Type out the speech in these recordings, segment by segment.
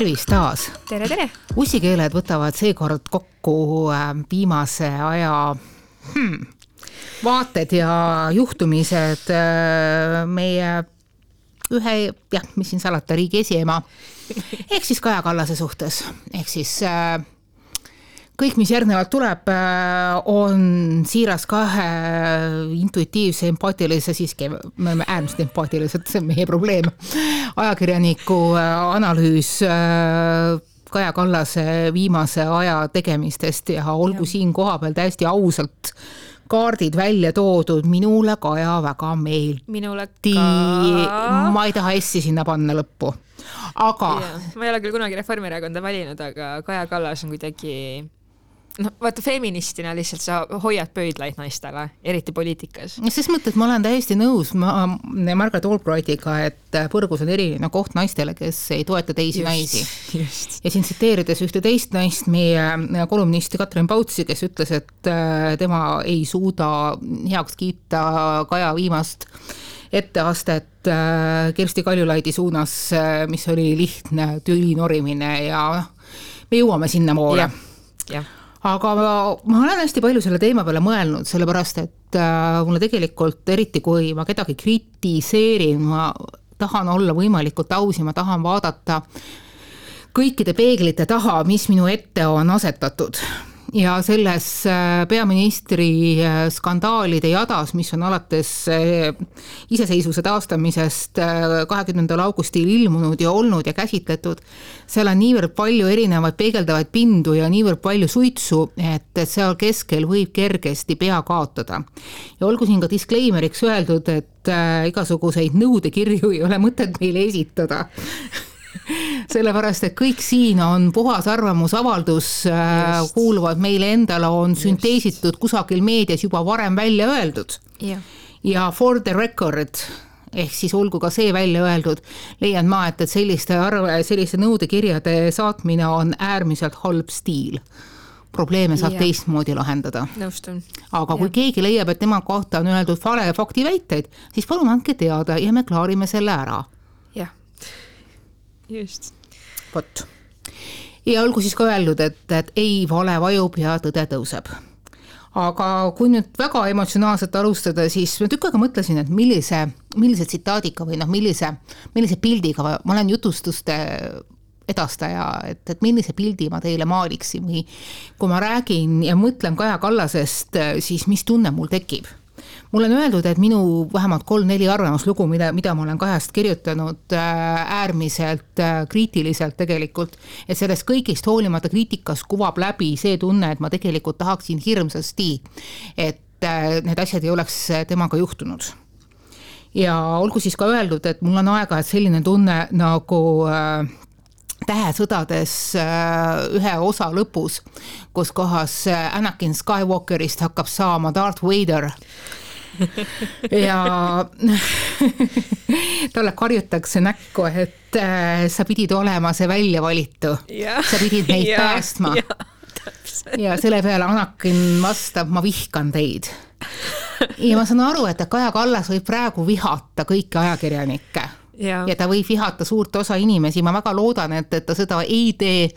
tervist taas! Tere! Ussikeeled võtavad seekord kokku viimase aja vaated ja juhtumised meie ühe, mis siin salata, riigi esiema, ehk siis Kaja Kallase suhtes. Ehk siis kõik, mis järgnevalt tuleb, on siiras kahe intuitiivse, empaatilise, siiski me oleme äärmiselt empaatilised, see on meie probleem, ajakirjaniku analüüs Kaja Kallase viimase aja tegemistest ja olgu siin kohapeal täiesti ausalt kaardid välja toodud, minule Kaja väga meeldi. Minule ka. Ma ei taha essi sinna panna lõppu. Aga... Ma ei ole küll kunagi Reformierakonda valinud, aga Kaja Kallas on kuidagi... vaata, feministina lihtsalt sa hoiad pöidlaid naistele, eriti poliitikas. Ses mõttes ma olen täiesti nõus Margaret Albrightiga, et põrgus on eriline koht naistele, kes ei toeta teisi naisi. Ja siin tsiteerides ühte teist naist, meie kolumnisti Katrin Pautsi, kes ütles, et tema ei suuda heaks kiita Kaja viimast etteastet Kersti Kaljulaidi suunas, mis oli lihtne tülinorimine ja me jõuame sinna poole. Jah. Aga ma olen hästi palju selle teema peale mõelnud, sellepärast, et mulle tegelikult, eriti kui ma kedagi kritiseerin, ma tahan olla võimalikult aus ja ma tahan vaadata kõikide peeglite taha, mis minu ette on asetatud. Ja selles peaministri skandaalide jadas, mis on alates iseseisvuse taastamisest 20. augustil ilmunud ja olnud ja käsitletud, seal on niivõrd palju erinevaid peegeldavaid pindu ja niivõrd palju suitsu, et seal keskel võib kergesti pea kaotada. Ja olgu siin ka disclaimeriks öeldud, et igasuguseid nõudekirju ei ole mõtet meile esitada. Sellepärast, et kõik siin on puhas arvamusavaldus, kuuluvad meile endale, on sünteesitud kusagil meedias juba varem välja öeldud. Ja for the record, ehk siis olgu ka see välja öeldud, leian ma, et selliste nõudekirjade saatmine on äärmiselt halb stiil. Probleeme saab teistmoodi lahendada. Nõustun. Aga kui keegi leiab, et tema kohta on öeldud vale faktiväiteid, siis palun andke teada ja me klaarime selle ära. Just. Vot. Ja olgu siis ka öeldud, et ei vale vajub ja tõde tõuseb. Aga kui nüüd väga emotsionaalselt alustada, siis ma tükk aega mõtlesin, et millise tsitaadiga või millise pildiga ma olen jutustuste edastaja, et millise pildi ma teile maaliksin või kui ma räägin ja mõtlen Kaja Kallasest, siis mis tunne mul tekib. Mul on öeldud, et minu vähemalt 3-4 arvamuslugu, mida ma olen Kajast kirjutanud äärmiselt kriitiliselt tegelikult, et sellest kõigist hoolimata kriitikas kuvab läbi see tunne, et ma tegelikult tahaksin hirmsasti, et need asjad ei oleks temaga juhtunud. Ja olgu siis ka öeldud, et mul on aega, et selline tunne nagu... tähesõdades ühe osa lõpus, kus kohas Anakin Skywalkerist hakkab saama Darth Vader ja talle karjutakse näkku, et sa pidid olema see välja valitu, sa pidid neid päästma ja selle peale Anakin vastab, ma vihkan teid ja ma saan aru, et Kaja Kallas võib praegu vihata kõiki ajakirjanikke ja ta võib vihata suurt osa inimesi, ma väga loodan, et ta seda ei tee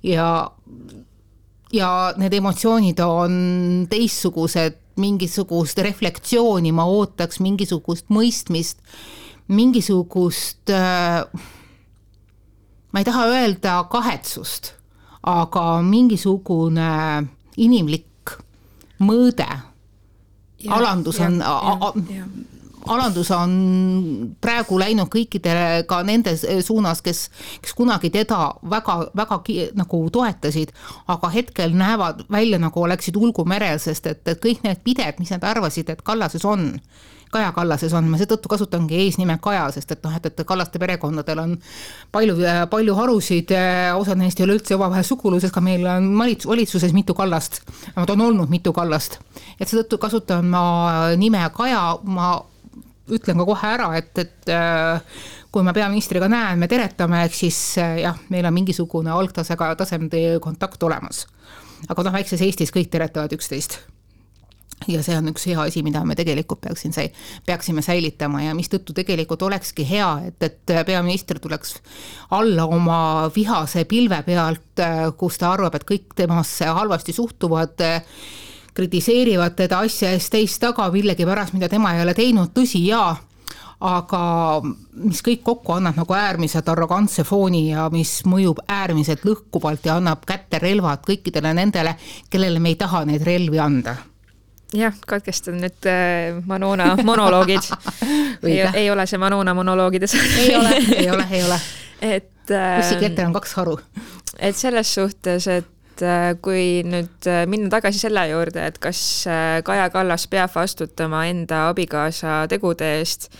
ja need emotsioonid on teistsugused, mingisugust reflektsiooni, ma ootaks mingisugust mõistmist, mingisugust, ma ei taha öelda kahetsust, aga mingisugune inimlik mõõde, alandus on praegu läinud kõikidele ka nende suunas, kes kunagi teda väga nagu toetasid, aga hetkel näevad välja nagu oleksid ulgumerel, sest et kõik need pided, mis nad arvasid, et Kaja Kallases on, ma seetõttu kasutangi eesnime Kaja, sest et Kallaste perekondadel on palju harusid, osad neist ei ole üldse omavahel suguluses, ka meil on valitsuses mitu Kallast, nad on olnud mitu Kallast, et seetõttu kasutan ma nime Kaja, ma ütlen ka kohe ära, et kui ma peaministriga näen, me teretame, ehk siis meil on mingisugune algtasega tasemde kontakt olemas. Aga väikses Eestis kõik teretavad üksteist. ja see on üks hea asi, mida me tegelikult peaksime säilitama ja mistõttu tegelikult olekski hea, et peaminister tuleks alla oma vihase pilve pealt, kus ta arvab, et kõik temasse halvasti suhtuvad, kritiseerivad teda asja eest teist taga millegi pärast, mida tema ei ole teinud, tõsi jaa, aga mis kõik kokku annab nagu äärmiselt arrogantse fooni ja mis mõjub äärmiselt lõhkuvalt ja annab kätte relvad kõikidele nendele, kellele me ei taha neid relvi anda. Jah, katkestan nüüd Manona monoloogid. ei ole see Manona monoloogide saade. Ei ole. Kussikletel on 2 haru. Et selles suhtes, et kui nüüd minna tagasi selle juurde, et kas Kaja Kallas peab vastutama enda abikaasa tegude eest,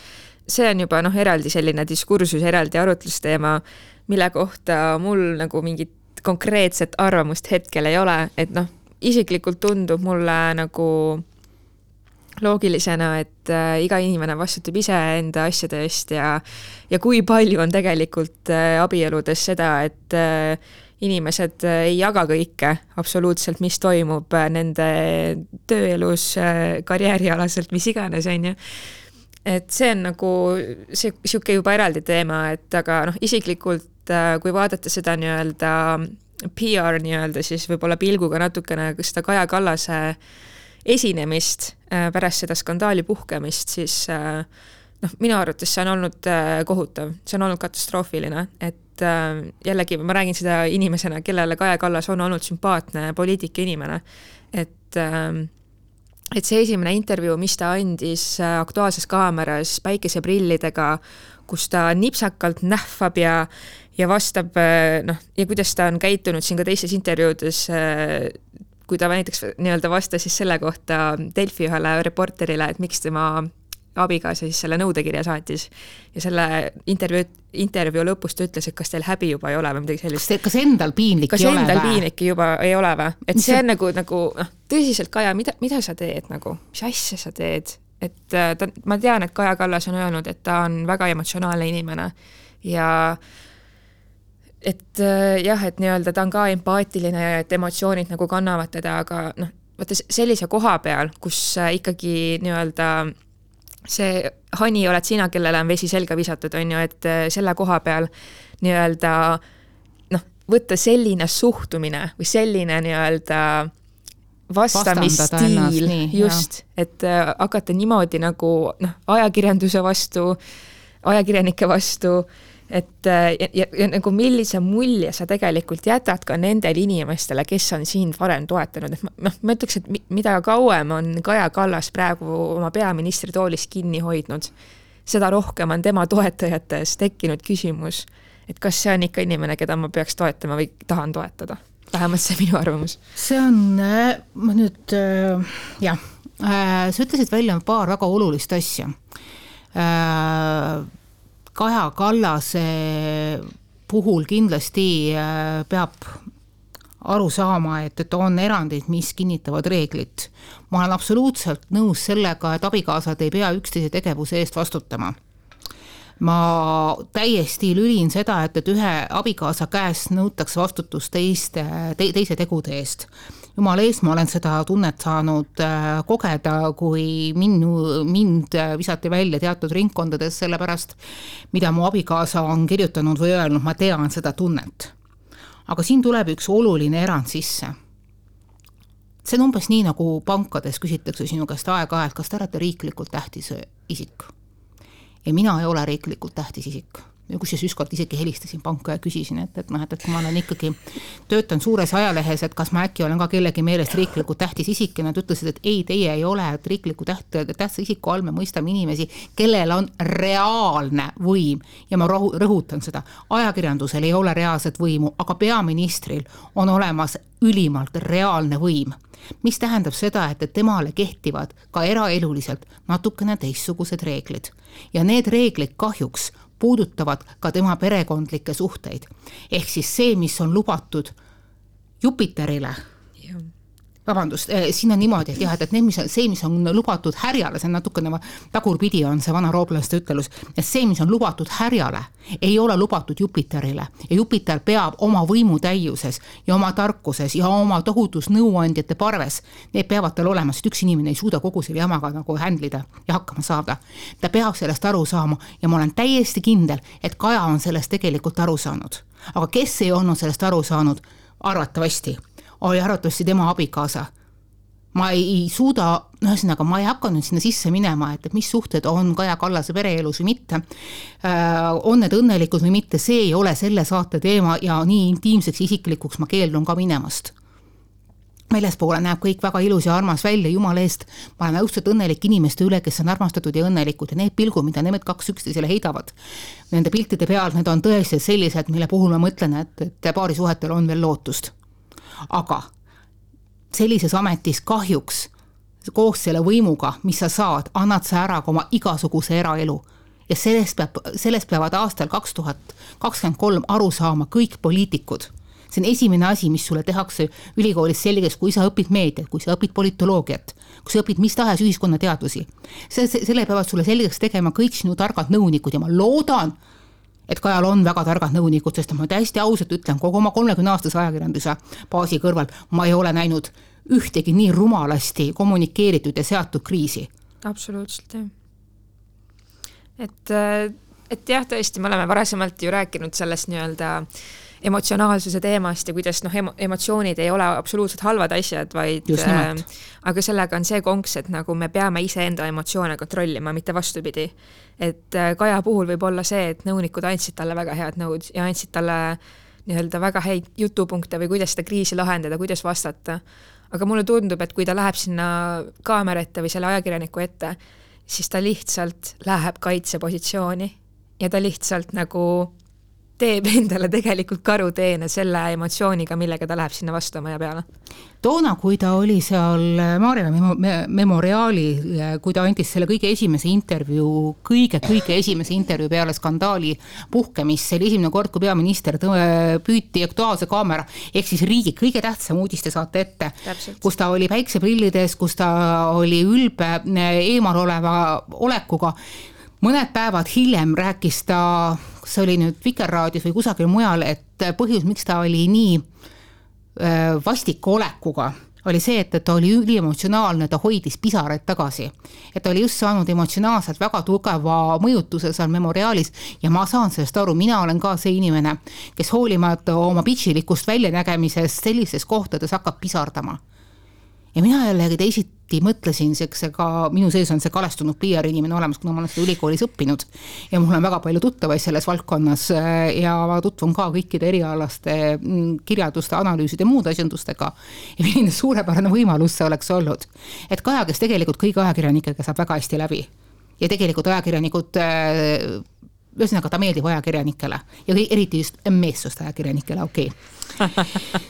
see on juba eraldi selline diskursus, eraldi arutlusteema, mille kohta mul nagu mingit konkreetset arvamust hetkel ei ole, et isiklikult tundub mulle nagu loogilisena, et iga inimene vastutab ise enda asjade eest ja kui palju on tegelikult abieludes seda, et inimesed ei jaga kõike absoluutselt, mis toimub nende tööelus, karjäärialaselt, mis iganes, on ju. Et see on nagu siuke juba eraldi teema, et aga isiklikult, kui vaadata seda nii-öelda PR nii-öelda, siis võib-olla pilguga natukene seda Kaja Kallase esinemist pärast seda skandaali puhkemist, siis minu arvates see on olnud kohutav, see on olnud katastroofiline, et jällegi ma räägin seda inimesena, kellele Kaja Kallas on olnud sümpaatne poliitika inimene, et see esimene intervjuu, mis ta andis Aktuaalses Kaameras päikeseprillidega, kus ta nipsakalt nähvab ja vastab, ja kuidas ta on käitunud siin ka teistes intervjuudes, kui ta näiteks nii-öelda vastas siis selle kohta Delfi ühele reporterile, et miks tema abikaasa siis selle nõudekirja saatis. Ja selle intervjuu lõpus ta ütles, et kas teil häbi juba ei ole või midagi sellist. Kas endal piinlik ei ole või? Kas endal piinlik juba ei ole või? Et see on nagu tõsiselt, Kaja, mida sa teed nagu? Mis asja sa teed? Et ma tean, et Kaja Kallas on öelnud, et ta on väga emotsionaalne inimene ja et jah, et nii-öelda ta on ka empaatiline ja et emotsioonid nagu kannavad teda, aga vaata sellise koha peal, kus ikkagi nii-öelda see hani oled sina, kellele on vesi selga visatud, on ju, et selle koha peal nii-öelda võtta selline suhtumine või selline nii-öelda vastamisstiil, just, et hakata niimoodi nagu ajakirjanduse vastu, ajakirjanike vastu, et ja nagu millise mulje sa tegelikult jätad ka nendel inimestele, kes on siin varem toetanud. Et ma ütleks, et mida kauem on Kaja Kallas praegu oma peaministri toolis kinni hoidnud, seda rohkem on tema toetajates tekkinud küsimus, et kas see on ikka inimene, keda ma peaks toetama või tahan toetada. Vähemalt see minu arvamus. See on, ma nüüd, jah, sa ütlesid välja paar väga olulist asja. Kaja Kallase puhul kindlasti peab aru saama, et on erandid, mis kinnitavad reeglit. Ma olen absoluutselt nõus sellega, et abikaasad ei pea üksteise tegevuse eest vastutama. Ma täiesti lülin seda, et ühe abikaasa käest nõutakse vastutust teise tegude eest. Jumal ees, ma olen seda tunnet saanud kogeda, kui mind visati välja teatud ringkondades sellepärast, mida mu abikaasa on kirjutanud või öelnud, ma tean seda tunnet. Aga siin tuleb üks oluline erand sisse. See on umbes nii, nagu pankades küsitakse sinu käest aeg-ajalt, kas te olete riiklikult tähtis isik. Ja mina ei ole riiklikult tähtis isik. Kus siis ükskord isegi helistasin panka ja küsisin, et kui ma olen ikkagi töötan suures ajalehes, et kas ma äkki olen ka kellegi meelest riiklikult tähtis isik ja nad ütlesid, et ei, teie ei ole, et riikliku tähtsa isiku all me mõistame inimesi, kellel on reaalne võim ja ma rõhutan seda. Ajakirjandusel ei ole reaalset võimu, aga peaministril on olemas ülimalt reaalne võim, mis tähendab seda, et temale kehtivad ka eraeluliselt natukene teistsugused reeglid ja need reeglid kahjuks puudutavad ka tema perekondlikke suhteid. Ehk siis see, mis on lubatud Jupiterile, vabandust, siin on niimoodi, et jah, et need, mis on lubatud härjale, see on natukene tagurpidi on see vana rooplaste ütelus, et see, mis on lubatud härjale, ei ole lubatud Jupiterile ja Jupiter peab oma võimutäiuses ja oma tarkuses ja oma tohutus nõuandjate parves, need peavad tal olema, sest üks inimene ei suuda kogu selle jamaga nagu händlida ja hakkama saada. Ta peab sellest aru saama ja ma olen täiesti kindel, et Kaja on sellest tegelikult aru saanud. Aga kes ei olnud sellest aru saanud? Arvatavasti oli arvatavasti tema abikaasa. Ma ei suuda, ühesõnaga, ma ei hakka nüüd sinna sisse minema, et mis suhted on Kaja Kallase pereelus või mitte, on need õnnelikud või mitte, see ei ole selle saate teema ja nii intiimseks isiklikuks ma keeldun ka minemast. Väljaspoole näeb kõik väga ilus ja armas välja, jumala eest, ma olen õudselt õnnelik inimeste üle, kes on armastatud ja õnnelikud ja need pilgud, mida need kaks üksteisele heidavad, nende piltide peal, need on tõesti sellised, mille puhul ma mõtlen, et paari suhetel on veel lootust. Aga sellises ametis kahjuks koos selle võimuga, mis sa saad, annad sa ära ka oma igasuguse eraelu ja sellest peavad aastal 2023 aru saama kõik poliitikud. See on esimene asi, mis sulle tehakse ülikoolis selgeks, kui sa õpid meediat, kui sa õpid politoloogiat, kui sa õpid mis tahes ühiskonnateadusi. Selle peavad sulle selgeks tegema kõik sinu targad nõunikud ja ma loodan, et Kajal on väga targad nõunikud, sest ma täiesti ausalt ütlen, kogu oma 30-aastase ajakirjanduse baasi kõrval ma ei ole näinud ühtegi nii rumalasti kommunikeeritud ja seatud kriisi. Absoluutselt, jah. Et jah, tõesti, me oleme varasemalt ju rääkinud sellest nii-öelda emotsionaalsuse teemast ja kuidas emotsioonid ei ole absoluutselt halvad asjad, vaid aga sellega on see konks, et nagu me peame iseenda emotsioone kontrollima, mitte vastupidi. Et Kaja puhul võib olla see, et nõunikud andsid talle väga head nõud ja andsid talle nii-öelda väga häid jutupunkte või kuidas seda kriisi lahendada, kuidas vastata. Aga mulle tundub, et kui ta läheb sinna kaamera ette või selle ajakirjaniku ette, siis ta lihtsalt läheb kaitsepositsiooni ja ta lihtsalt nagu teeb endale tegelikult karuteene selle emotsiooniga, millega ta läheb sinna vastu maja peale. Toona, kui ta oli seal Maarjamäe memoriaali, kui ta andis selle kõige esimese intervjuu peale skandaali puhkemist, see oli esimene kord, kui peaminister püüti Aktuaalse kaamera, ehk siis riigi kõige tähtsam uudiste saate ette, kus ta oli päikseprillides, kus ta oli ülbe eemal oleva olekuga. Mõned päevad hiljem rääkis ta, see oli nüüd Vikerraadios või kusagil mujal, et põhjus, miks ta oli nii vastiku olekuga, oli see, et ta oli üliemotsionaalne, ta hoidis pisaraid tagasi. Et ta oli just saanud emotsionaalselt väga tugeva mõjutuse seal memoriaalis ja ma saan sellest aru, mina olen ka see inimene, kes hoolimata oma pitšilikust väljanägemisest sellises kohtades hakkab pisardama. Ja mina jällegi teisiti mõtlesin, ka minu sees on see kalestunud PR inimene olemas, kuna ma olen seda ülikoolis õppinud ja mul on väga palju tuttavaid selles valdkonnas ja ma tutvun ka kõikide erialaste kirjaduste, analüüside ja muude asjandustega ja milline suurepärane võimalus see oleks olnud. Et Kaja, kes tegelikult kõigi ajakirjanikega saab väga hästi läbi ja tegelikult ajakirjanikud ühesõnaga ta meeldib ajakirjanikele ja eriti just meessust ajakirjanikele, okei.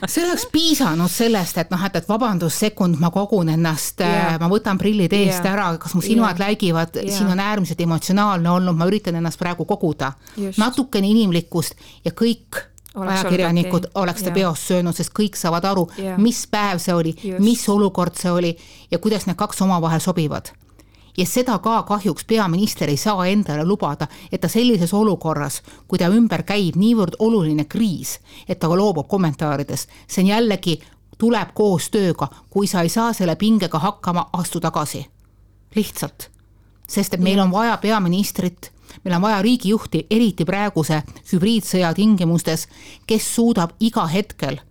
See oleks piisanud sellest, et vabandus sekund, ma kogun ennast, ma võtan prillid eest ära, kas mu silmad läigivad, siin on äärmiselt emotsionaalne olnud, ma üritan ennast praegu koguda. Natukene inimlikkust ja kõik ajakirjanikud oleks ta peost söönud, sest kõik saavad aru, mis päev see oli, mis olukord see oli ja kuidas need kaks omavahel sobivad. Ja seda ka kahjuks peaminister ei saa endale lubada, et ta sellises olukorras, kui ta ümber käib niivõrd oluline kriis, et ta loobub kommentaarides. See on jällegi, tuleb koos tööga, kui sa ei saa selle pingega hakkama, astu tagasi. Lihtsalt. Sest et meil on vaja peaministrit, meil on vaja riigijuhti, eriti praeguse hübriidsõja tingimustes, kes suudab iga hetkel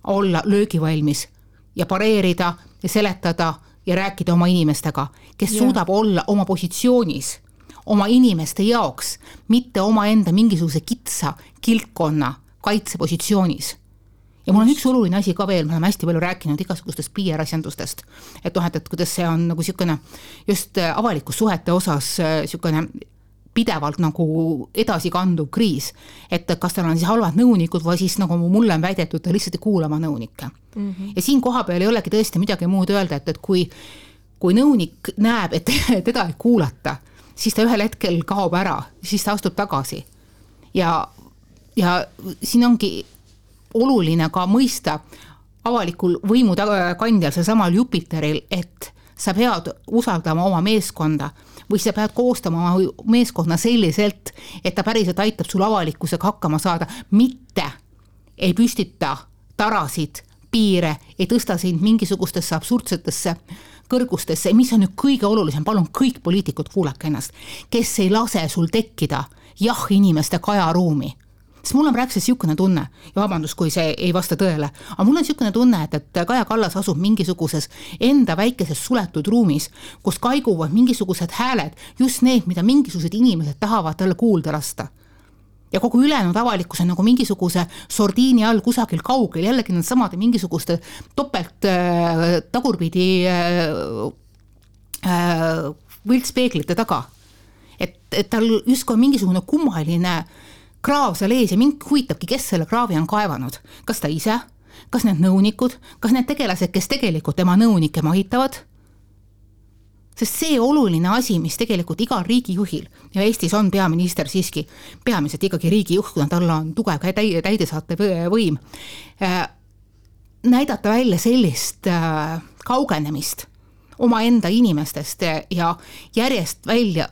olla löögivalmis ja pareerida ja seletada ja rääkida oma inimestega, kes suudab olla oma positsioonis, oma inimeste jaoks, mitte oma enda mingisuguse kitsa kiltkonna kaitsepositsioonis. Ja mul on üks oluline asi ka veel, me oleme hästi palju rääkinud igasugustest PR-asjandustest, et kuidas see on nagu siukene just avalikus suhete osas siukene pidevalt nagu edasi kanduv kriis, et kas tal on siis halvad nõunikud või siis nagu mulle on väidetud, ta lihtsalt ei kuula oma nõunikke. Ja siin koha peal ei olegi tõesti midagi muud öelda, et kui nõunik näeb, et teda ei kuulata, siis ta ühel hetkel kaob ära, siis ta astub tagasi. Ja siin ongi oluline ka mõista avalikul võimukandjal, see samal Jupiteril, et sa pead usaldama oma meeskonda või sa pead koostama oma meeskonna selliselt, et ta päriselt aitab sul avalikkusega hakkama saada, mitte ei püstita tarasid, piire, ei tõsta sind mingisugustesse absurdsetesse kõrgustesse, mis on nüüd kõige olulisem, palun kõik poliitikud kuulake ennast, kes ei lase sul tekkida jah-inimeste kajaruumi. Sest mul on praegusel siukene tunne, ja vabandust, kui see ei vasta tõele, aga mul on siukene tunne, et Kaja Kallas asub mingisuguses enda väikeses suletud ruumis, kus kaiguvad mingisugused hääled, just need, mida mingisugused inimesed tahavad talle kuulda lasta. Ja kogu ülejäänud avalikkus on nagu mingisuguse sordiini all kusagil kaugel, jällegi need samade mingisuguste topelt tagurpidi võltspeeglite taga. Et tal justkui on mingisugune kummaline kraav seal ees ja mind huvitabki, kes selle kraavi on kaevanud. Kas ta ise? Kas need nõunikud? Kas need tegelased, kes tegelikult tema nõunike mahitavad? Sest see oluline asi, mis tegelikult igal riigijuhil, ja Eestis on peaminister siiski, peamiselt ikkagi riigijuht, kuna tal on tugev täidesaatev võim, näidata välja sellist kaugenemist oma enda inimestest ja järjest välja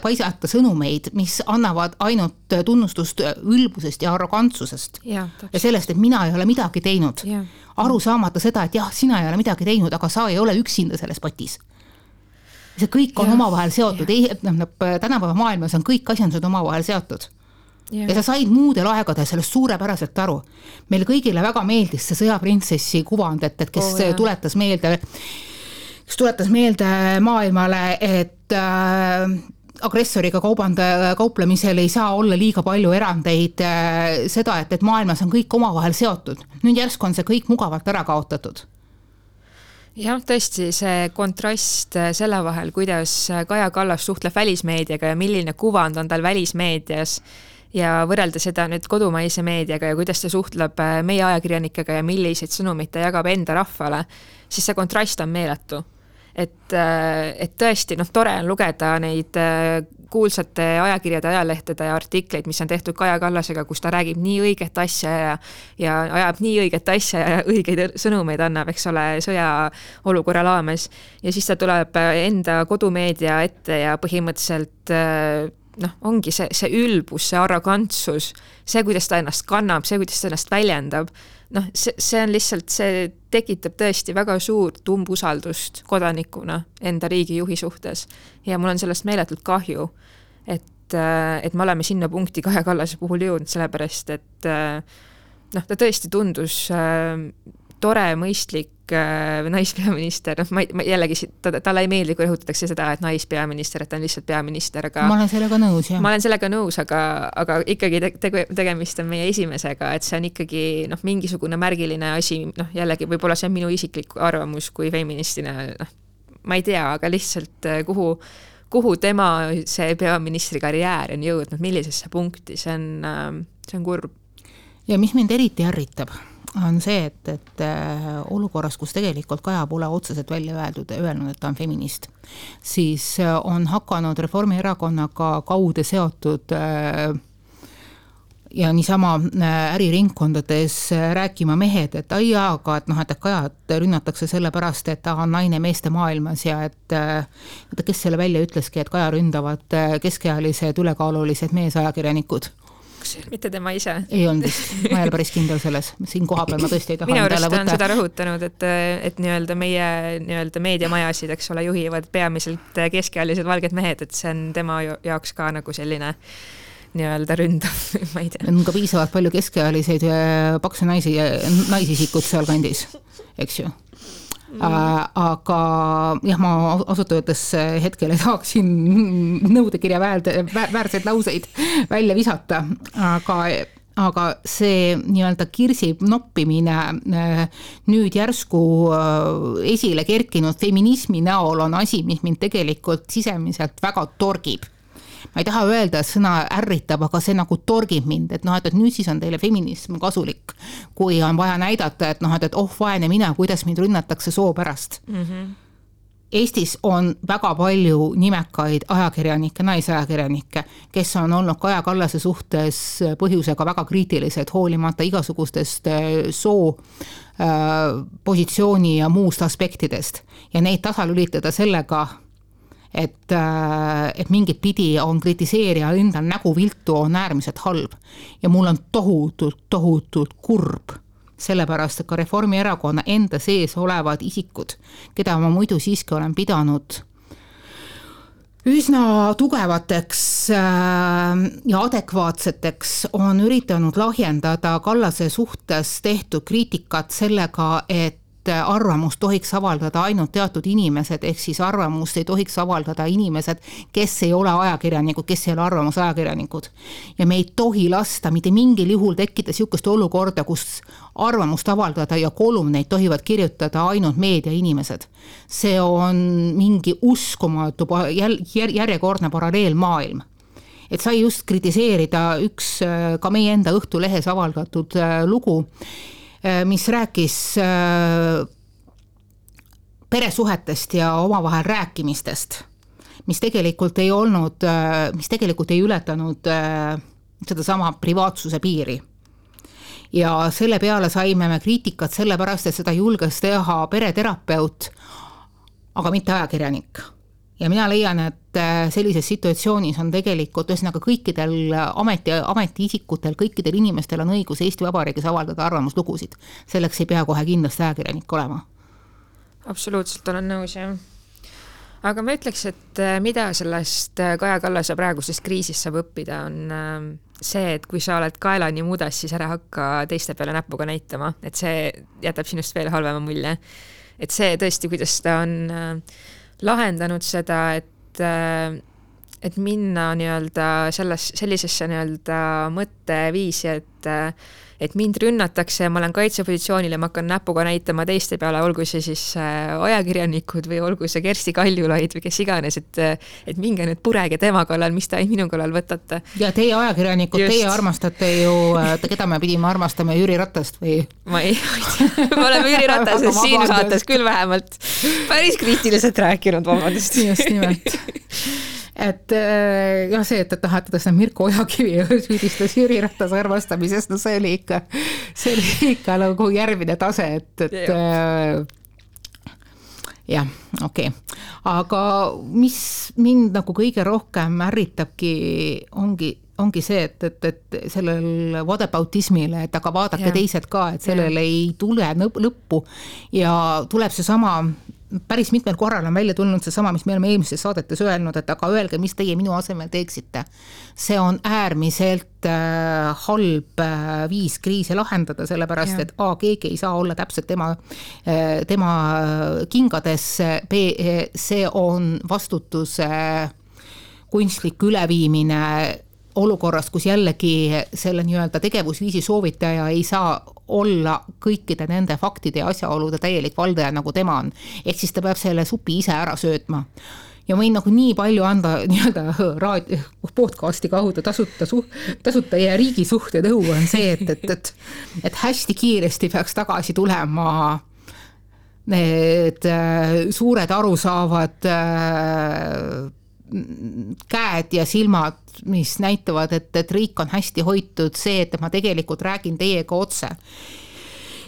paisata sõnumeid, mis annavad ainult tunnustust ülbusest ja arrogantsusest. Ja sellest, et mina ei ole midagi teinud. Aru saamata seda, et jah, sina ei ole midagi teinud, aga sa ei ole üksinda selles patis. See kõik on omavahel seotud. Tänapäeva maailmas on kõik asjandused omavahel seotud. Ja sa said muudel aegadel sellest suurepäraselt aru. Meil kõigile väga meeldis see sõjaprintsessi kuvand, et kes tuletas meelde maailmale, et agressoriga kauplemisel ei saa olla liiga palju erandeid, seda, et maailmas on kõik omavahel seotud. Nüüd järsku on see kõik mugavalt ära kaotatud. Jah, tõesti see kontrast selle vahel, kuidas Kaja Kallas suhtleb välismeediaga ja milline kuvand on tal välismeedias ja võrrelda seda nüüd kodumaise meediaga ja kuidas ta suhtleb meie ajakirjanikega ja milliseid sõnumeid ta jagab enda rahvale, siis see kontrast on meeletu. Et tõesti, tore on lugeda neid kuulsate ajakirjade, ajalehtede ja artikleid, mis on tehtud Kaja Kallasega, kus ta räägib nii õiget asja ja ajab nii õiget asja ja õigeid sõnumeid annab, eks ole, sõja olukorra raames. Ja siis ta tuleb enda kodumeedia ette ja põhimõtteliselt ongi see ülbus, see arrogantsus, see, kuidas ta ennast kannab, see, kuidas ta ennast väljendab. See on lihtsalt, see tekitab tõesti väga suurt umbusaldust kodanikuna enda riigijuhi suhtes ja mul on sellest meeletult kahju, et me oleme sinna punkti Kaja Kallase puhul jõudnud, sellepärast, et ta tõesti tundus tore, mõistlik naispeaminister, jällegi talle ei meeldi, kui rõhutatakse seda, et naispeaminister, et ta on lihtsalt peaminister, aga ma olen sellega nõus, jah. Ma olen sellega nõus, aga ikkagi tegemist on meie esimesega, et see on ikkagi mingisugune märgiline asi, jällegi võib-olla see on minu isiklik arvamus kui feministina, ma ei tea, aga lihtsalt kuhu tema see peaministri karjäär on jõudnud, millisesse punkti, see on kurb. Ja mis mind eriti ärritab, on see, et olukorras, kus tegelikult Kaja pole otseselt välja öelnud, et ta on feminist, siis on hakanud Reformierakonnaga kaude seotud ja niisama äriringkondades rääkima mehed, et aga et Kajat rünnatakse selle pärast, et ta on naine meeste maailmas ja et kes selle välja ütleski, et Kaja ründavad keskealised ülekaalulised meesajakirjanikud. Mitte tema ise. Ei olnud vist, ma ei ole päris kindel selles. Siin kohapeal ma tõesti ei taha minu arust on seda rõhutanud, et meie meediamajasid, eks ole, juhivad peamiselt keskealised valged mehed, et see on tema jaoks ka nagu selline ründav, ma ei tea. On ka piisavalt palju keskealiseid paksu naisisikud seal kandis, eks ju. Aga jah, ma asutavates hetkel ei tahaksin nõudekirja väärseid lauseid välja visata, aga see nii-öelda kirsi noppimine nüüd järsku esile kerkinud feminismi näol on asi, mis mind tegelikult sisemiselt väga torgib. Ma ei taha öelda, et sõna ärritab, aga see nagu torgib mind, et nüüd siis on teile feminism kasulik, kui on vaja näidata, et vaene mina, kuidas mind rünnatakse soo pärast. Eestis on väga palju nimekaid ajakirjanikke, naisajakirjanikke, kes on olnud Kaja Kallase suhtes põhjusega väga kriitilised, hoolimata igasugustest soo, positsiooni ja muust aspektidest. Ja neid tasalülitada sellega, et mingit pidi on kritiseerija endal nägu viltu, on äärmiselt halb. Ja mul on tohutult kurb. Sellepärast, et ka Reformierakonna enda sees olevad isikud, keda ma muidu siiski olen pidanud üsna tugevateks ja adekvaatseteks, on üritanud lahjendada Kallase suhtes tehtud kriitikat sellega, et arvamust tohiks avaldada ainult teatud inimesed, ehk siis arvamust ei tohiks avaldada inimesed, kes ei ole ajakirjanikud, kes ei ole arvamusajakirjanikud. Ja me ei tohi lasta mitte mingil juhul tekkida niisugust olukorda, kus arvamust avaldada ja kolumneid tohivad kirjutada ainult meedia inimesed. See on mingi uskumatu järjekordne paralleelmaailm. Et sai just kritiseerida üks ka meie enda Õhtulehes avaldatud lugu, mis rääkis peresuhetest ja omavahel rääkimistest, mis tegelikult ei ületanud seda sama privaatsuse piiri. Ja selle peale saime me kriitikat sellepärast, et seda julges teha pereterapeut, aga mitte ajakirjanik. Ja mina leian, et sellises situatsioonis on tegelikult ühesõnaga kõikidel ametiisikutel, kõikidel inimestel on õigus Eesti Vabariigis avaldada arvamuslugusid. Selleks ei pea kohe kindlasti ajakirjanik olema. Absoluutselt olen nõus, jah. Aga ma ütleks, et mida sellest Kaja Kallase praegusest kriisist saab õppida, on see, et kui sa oled kaelani mudas, siis ära hakka teiste peale näpuga näitama, et see jätab sinust veel halvema mulje. Et see tõesti, kuidas ta on lahendanud seda, et minna sellisesse mõtteviisi, et mind rünnatakse ja ma olen kaitsepositsioonil ja ma hakkan näpuga näitama teiste peale, olgu see siis ajakirjanikud või olgu see Kersti Kaljulaid või kes iganes, et minge nüüd purege tema kallal, mis ta minu kallal võtate. Ja teie ajakirjanikud, teie armastate ju, keda me pidime armastama, Jüri Ratast või? Ma ei tea, me oleme Jüri Ratasest siin saates küll vähemalt päris kriitiliselt rääkinud, vabandust. Just nimelt. Et ja see, et tahate seda Mirko Ojakivi süüdistas Jüri Ratase armastamisest, no see oli ikka nagu järgmine tase, et jah, okei. Aga mis mind nagu kõige rohkem ärritabki, ongi see, et sellel whataboutismil, et aga vaadake teised ka, et sellel ei tule lõppu ja tuleb see sama, päris mitmel korral on välja tulnud see sama, mis me oleme eelmises saadetes öelnud, et aga öelge, mis teie minu asemel teeksite. See on äärmiselt halb viis kriisi lahendada, sellepärast, et keegi ei saa olla täpselt tema kingades, see on vastutuse kunstlik üleviimine olukorrast, kus jällegi selle tegevusviisi soovitaja ei saa olla kõikide nende faktide ja asjaolude täielik valdaja, nagu tema on. Ehk siis ta peab selle supi ise ära söötma. Ja võin nagu nii palju anda podcasti kaudu tasuta ja riigi suhte nõu on see, et hästi kiiresti peaks tagasi tulema need suured arusaavad käed ja silmad, mis näitavad, et riik on hästi hoitud, see, et ma tegelikult räägin teiega otse.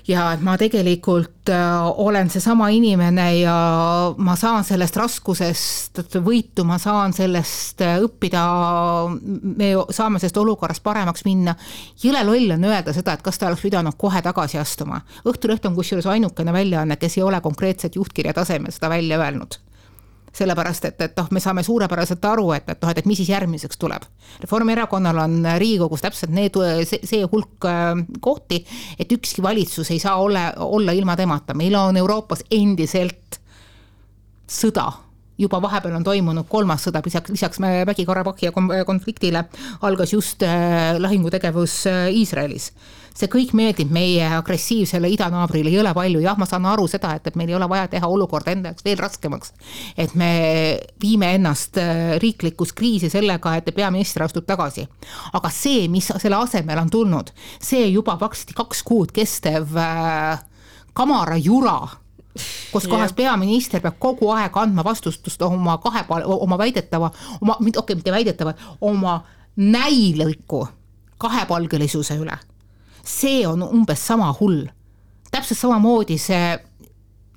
Ja et ma tegelikult olen see sama inimene ja ma saan sellest raskusest võitu, ma saan sellest õppida, me saame sellest olukorrast paremaks minna. Jõle loll on öelda seda, et kas ta oleks pidanud kohe tagasi astuma. Õhtuleht on kusjuures ainukene väljaanne, kes ei ole konkreetset juhtkirja tasemel seda välja öelnud. Sellepärast, et me saame suurepäraselt aru, et mis siis järgmiseks tuleb. Reformierakonnal on Riigikogus täpselt see hulk kohti, et ükski valitsus ei saa olla ilma temata. Meil on Euroopas endiselt sõda. Juba vahepeal on toimunud 3. sõda, lisaks Mägi-Karabahhi konfliktile algas just lahingutegevus Iisraelis. See kõik meeldib meie agressiivsele idanaabrile ei ole palju. Jah, ma saan aru seda, et meil ei ole vaja teha olukorda endaks veel raskemaks. Et me viime ennast riiklikus kriisi sellega, et peaminister astub tagasi. Aga see, mis selle asemel on tulnud, see juba 2 kuud kestev kamara jura kus kohas peaminister peab kogu aeg andma vastustust oma väidetava, mitte väidetava, oma näiliku kahepalgelisuse üle. See on umbes sama hull. Täpselt samamoodi see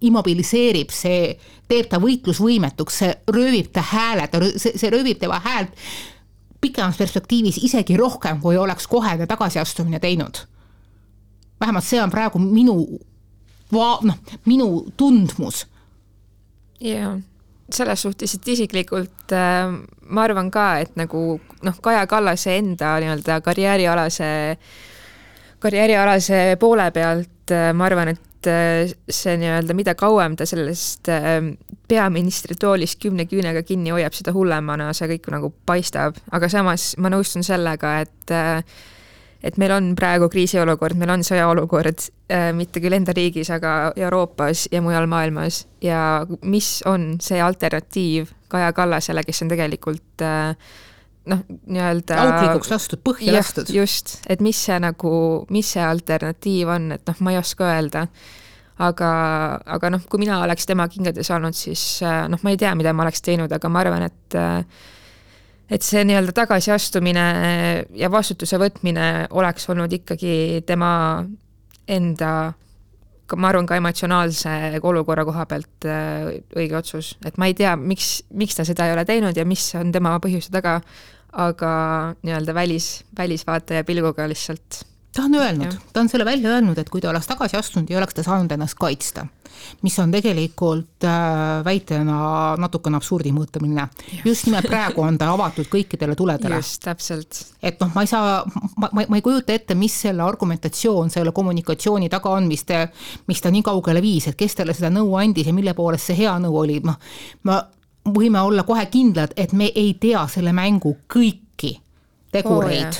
immobiliseerib, see teeb ta võitlusvõimetuks, see röövib ta hääled, see röövib tema häält pikemas perspektiivis isegi rohkem, kui oleks kohene tagasiastumine teinud. Vähemalt see on praegu minu tundmus. Jaa, selles suhtes, et isiklikult ma arvan ka, et nagu Kaja Kallase enda nii-öelda karjäärialase poole pealt ma arvan, et see nii-öelda, mida kauem ta sellest peaministri toolist 10 küünega kinni hoiab, seda hullemana see kõik nagu paistab, aga samas ma nõustun sellega, et meil on praegu kriisiolukord, meil on sõjaolukord, mitte küll enda riigis, aga Euroopas ja mujal maailmas ja mis on see alternatiiv Kaja Kallasele, kes on tegelikult nii-öelda auklikuks lastud, põhja lastud. Just, et mis see alternatiiv on, et ma ei oska öelda. Aga kui mina oleks tema kingades olnud, siis ma ei tea, mida ma oleks teinud, aga ma arvan, et see nii-öelda tagasiastumine ja vastutuse võtmine oleks olnud ikkagi tema enda, ma arvan ka emotsionaalse olukorra koha pealt õige otsus. Et ma ei tea, miks ta seda ei ole teinud ja mis on tema põhjuse taga, aga nii-öelda välisvaataja pilguga lihtsalt. Ta on selle välja öelnud, et kui ta oleks tagasi astunud, ei oleks ta saanud ennast kaitsta, mis on tegelikult väitena natukene absurdi mõõtamine. Just nimelt praegu on ta avatud kõikidele tuledele. Just, täpselt. Et ma ei kujuta ette, mis selle argumentatsioon, selle kommunikatsiooni taga on, mis ta nii kaugele viis, et kes talle seda nõu andis ja mille poolest see hea nõu oli. Ma võime olla kohe kindlad, et me ei tea selle mängu kõiki tegureid.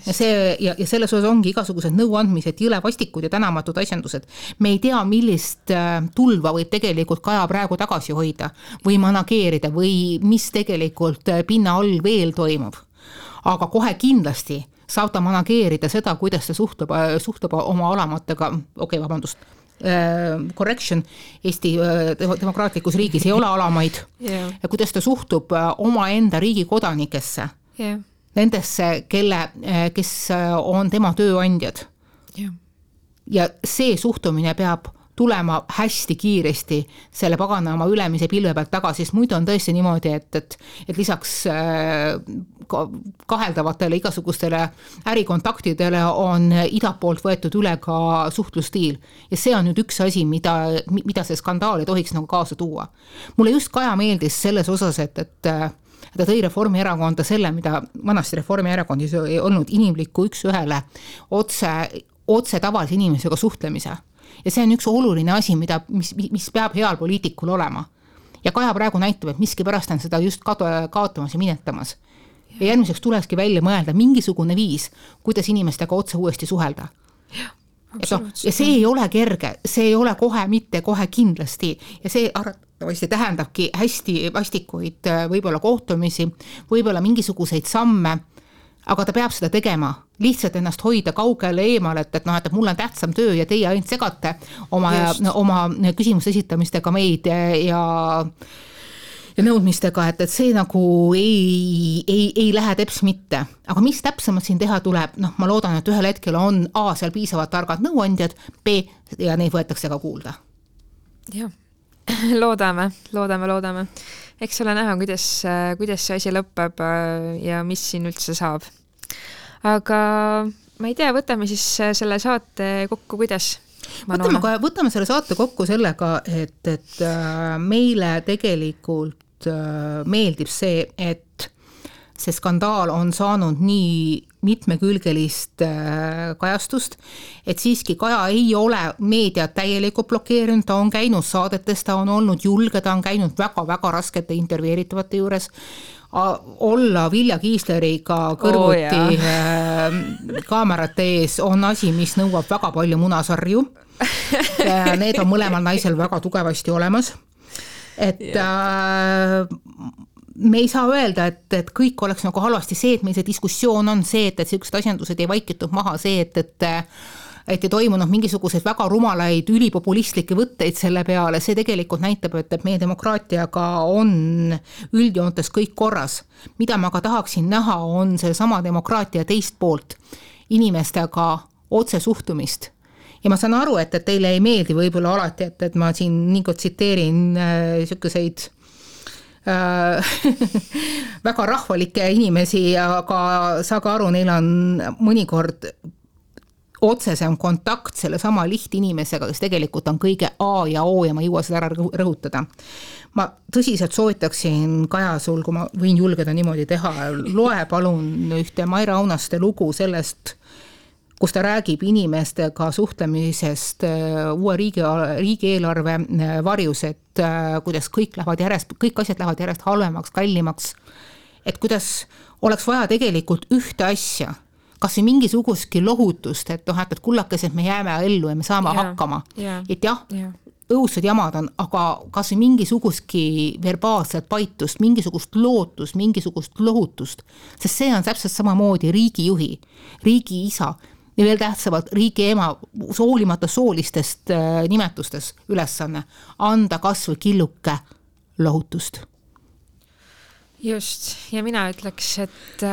Ja selles osas ongi igasugused nõuandmised, jõlevastikud ja tänamatud asjandused. Me ei tea, millist tulva võib tegelikult Kaja praegu tagasi hoida või manageerida või mis tegelikult pinna all veel toimub. Aga kohe kindlasti saab ta manageerida seda, kuidas ta suhtub oma alamatega, correction, Eesti demokraatlikus riigis ei ole alamaid ja kuidas ta suhtub oma enda riigi kodanikesse. Nendesse, kes on tema tööandjad. Ja see suhtumine peab tulema hästi kiiresti selle paganama ülemise pilve pealt tagasi, sest muidu on tõesti niimoodi, et lisaks kaheldavatele igasugustele ärikontaktidele on idapoolt võetud üle ka suhtlustiil. Ja see on nüüd üks asi, mida see skandaal ei tohiks nagu kaasa tuua. Mulle just Kaja meeldis selles osas, et ta tõi Reformierakonda selle, mida vanasti Reformierakondis ei olnud inimlikku üks ühele otse tavalise inimesega suhtlemise. Ja see on üks oluline asi, mis peab heal poliitikul olema. Ja Kaja praegu näitab, et miski pärast on seda just kaotamas ja minetamas. Ja järgmiseks tulekski välja mõelda mingisugune viis, kuidas inimestega otse uuesti suhelda. Ja see ei ole kerge, see ei ole kohe mitte kohe kindlasti ja see arvatavasti tähendabki hästi vastikuid võib-olla kohtumisi, võib-olla mingisuguseid samme, aga ta peab seda tegema, lihtsalt ennast hoida kaugele eemal, et mul on tähtsam töö ja teie ainult segate oma küsimuste esitamistega meid ja nõudmistega, et see nagu ei lähe teps mitte. Aga mis täpsemalt siin teha tuleb? Ma loodan, et ühel hetkel on A, seal piisavad targad nõuandjad, B, ja neid võetakse ka kuulda. Jah, loodame. Eks ole näha, kuidas see asi lõpeb ja mis siin üldse saab. Aga ma ei tea, võtame siis selle saate kokku, kuidas? Võtame selle saate kokku sellega, et meile tegelikult meeldib see, et see skandaal on saanud nii mitmekülgelist kajastust, et siiski Kaja ei ole meediat täielikult blokeerinud, ta on käinud saadetes, ta on olnud julge, ta on käinud väga-väga raskete intervjueeritavate juures, olla Vilja Kiisleriga kõrvuti kaamerate ees on asi, mis nõuab väga palju munasarju. Need on mõlemal naisel väga tugevasti olemas. Et me ei saa öelda, et kõik oleks nagu halvasti see, et meil see diskussioon on see, et sellised asjandused ei vaikitud maha, see, et ei toimunud mingisuguseid väga rumalaid ülipopulistlikke võtteid selle peale, see tegelikult näitab, et meie demokraatiaga on üldjoontes kõik korras. Mida ma ka tahaksin näha, on see sama demokraatia teist poolt, inimestega otse suhtumist. Ja ma saan aru, et teile ei meeldi võib-olla alati, et ma siin nii tsiteerin selliseid väga rahvalikke inimesi, aga saage aru, neil on mõnikord otsesem kontakt selle sama lihtinimesega, kes tegelikult on kõige A ja O ja ma ei jõua seda ära rõhutada. Ma tõsiselt soovitaksin, Kaja, sul, kui ma võin julgeda niimoodi teha, loe palun ühte Maire Aunaste lugu sellest, kus ta räägib inimestega suhtlemisest uue riigieelarve varjus, et kuidas kõik asjad lähevad järjest halvemaks, kallimaks, et kuidas oleks vaja tegelikult ühte asja, kas või mingisugustki lohutust, et kullakesed me jääme ellu ja me saame hakkama. Et jah, õudsed jamad on, aga kas või mingisugustki verbaalset paitust, mingisugust lootust, mingisugust lohutust, sest see on täpselt samamoodi riigijuhi, riigi isa, ja veel tähtsamalt riigi ema hoolimata soolistest nimetustes ülesanne, anda kas või killuke lohutust. Just, ja mina ütleks, et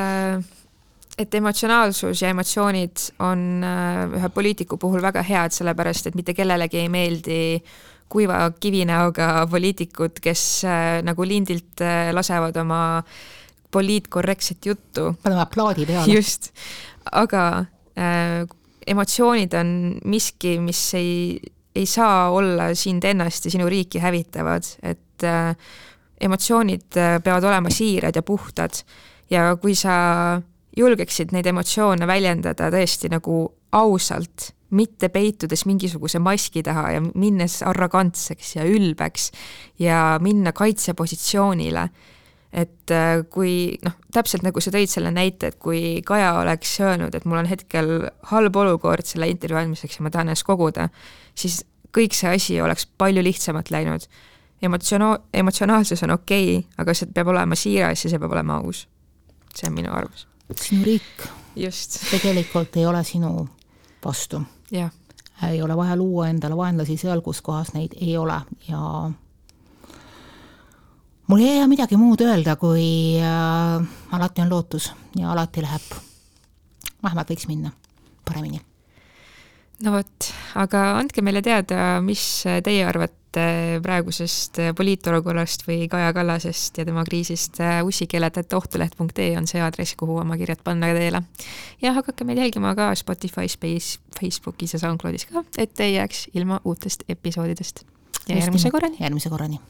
emotsionaalsus ja emotsioonid on ühe poliitiku puhul väga head, sellepärast, et mitte kellelegi ei meeldi kuiva kivinäoga poliitikud, kes nagu lindilt lasevad oma poliitkorrektset juttu. Paneme aplaadi peale. Just, aga emotsioonid on miski, mis ei saa olla sind ennast ja sinu riiki hävitavad, et emotsioonid peavad olema siirad ja puhtad ja kui sa julgeksid neid emotsioone väljendada tõesti nagu ausalt, mitte peitudes mingisuguse maski taha ja minnes arrogantseks ja ülbeks ja minna kaitsepositsioonile. Et kui, täpselt nagu sa tõid selle näite, et kui Kaja oleks öelnud, et mul on hetkel halb olukord selle intervjuu andmiseks ja ma tahan ennast koguda, siis kõik see asi oleks palju lihtsamalt läinud. Emotsionaalsus on okei, aga see peab olema siiras ja see peab olema aus. See on minu arvus. Sinu riik Just. Tegelikult ei ole sinu vastu. Ja. Ei ole vaja luua endale vaenlasi seal, kus kohas neid ei ole ja mul ei jää midagi muud öelda, kui alati on lootus ja alati läheb. Vähemalt võiks minna paremini. No võt, aga andke meile teada, mis teie arvate praegusest poliitolukorrast või Kaja Kallasest ja tema kriisist. ussikeeled@ohtuleht.ee on see aadress, kuhu oma kirjad panna teile. Ja hakake meil jälgima ka Spotify's, Facebookis ja SoundCloudis ka, et ei jääks ilma uutest episoodidest. Ja järgmise korrani.